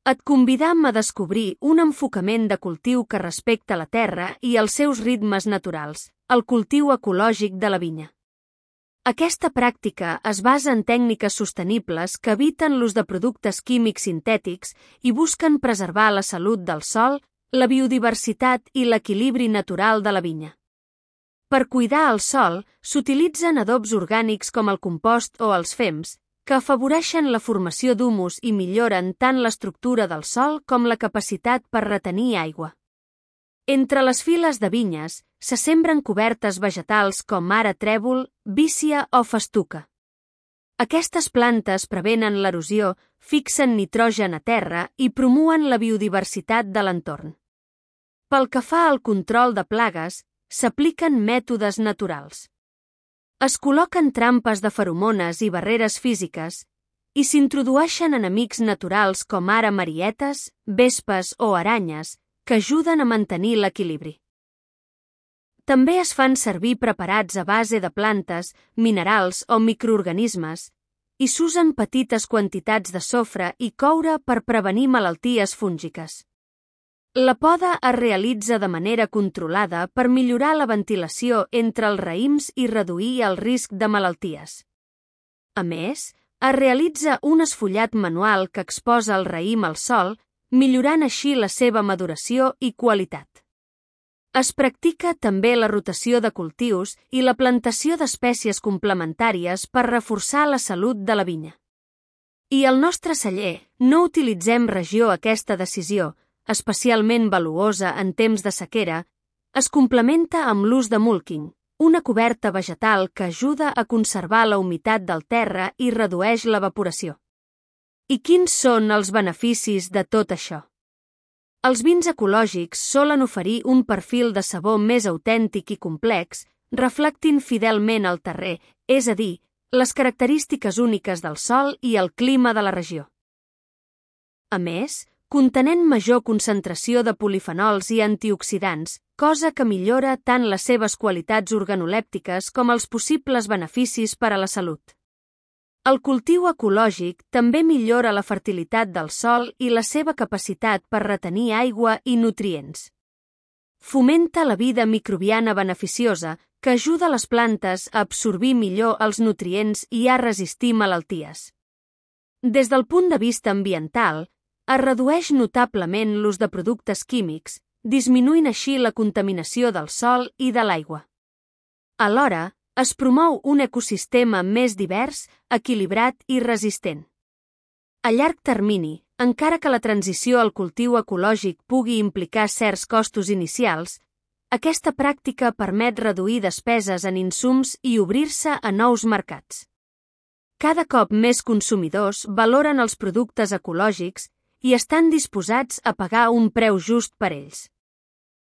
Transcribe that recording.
Et convidam a descobrir un enfocament de cultiu que respecta la terra i els seus ritmes naturals, el cultiu ecològic de la vinya. Aquesta pràctica es basa en tècniques sostenibles que eviten l'ús de productes químics sintètics i busquen preservar la salut del sòl, la biodiversitat i l'equilibri natural de la vinya. Per cuidar el sòl, s'utilitzen adobs orgànics com el compost o els fems, que afavoreixen la formació d'humus i milloren tant l'estructura del sòl com la capacitat per retenir aigua. Entre les files de vinyes, se sembren cobertes vegetals com ara trèvol, vícia o festuca. Aquestes plantes prevenen l'erosió, fixen nitrogen a terra i promuen la biodiversitat de l'entorn. Pel que fa al control de plagues, s'apliquen mètodes naturals. Es col·loquen trampes de feromones i barreres físiques i s'introdueixen enemics naturals com ara marietes, vespes o aranyes que ajuden a mantenir l'equilibri. També es fan servir preparats a base de plantes, minerals o microorganismes i s'usen petites quantitats de sofre i coure per prevenir malalties fúngiques. La poda es realitza de manera controlada per millorar la ventilació entre els raïms i reduir el risc de malalties. A més, es realitza un esfollat manual que exposa el raïm al sol, millorant així la seva maduració i qualitat. Es practica també la rotació de cultius i la plantació d'espècies complementàries per reforçar la salut de la vinya. I al nostre celler no utilitzem regió aquesta decisió, especialment valuosa en temps de sequera, es complementa amb l'ús de mulking, una coberta vegetal que ajuda a conservar la humitat del terra i redueix l'evaporació. I quins són els beneficis de tot això? Els vins ecològics solen oferir un perfil de sabor més autèntic i complex, reflectint fidelment el terrer, és a dir, les característiques úniques del sòl i el clima de la regió. A més, contenent major concentració de polifenols i antioxidants, cosa que millora tant les seves qualitats organolèptiques com els possibles beneficis per a la salut. El cultiu ecològic també millora la fertilitat del sòl i la seva capacitat per retenir aigua i nutrients. Fomenta la vida microbiana beneficiosa que ajuda les plantes a absorbir millor els nutrients i a resistir malalties. Des del punt de vista ambiental, es redueix notablement l'ús de productes químics, disminuint així la contaminació del sòl i de l'aigua. Alhora, es promou un ecosistema més divers, equilibrat i resistent. A llarg termini, encara que la transició al cultiu ecològic pugui implicar certs costos inicials, aquesta pràctica permet reduir despeses en insums i obrir-se a nous mercats. Cada cop més consumidors valoren els productes ecològics i estan disposats a pagar un preu just per ells.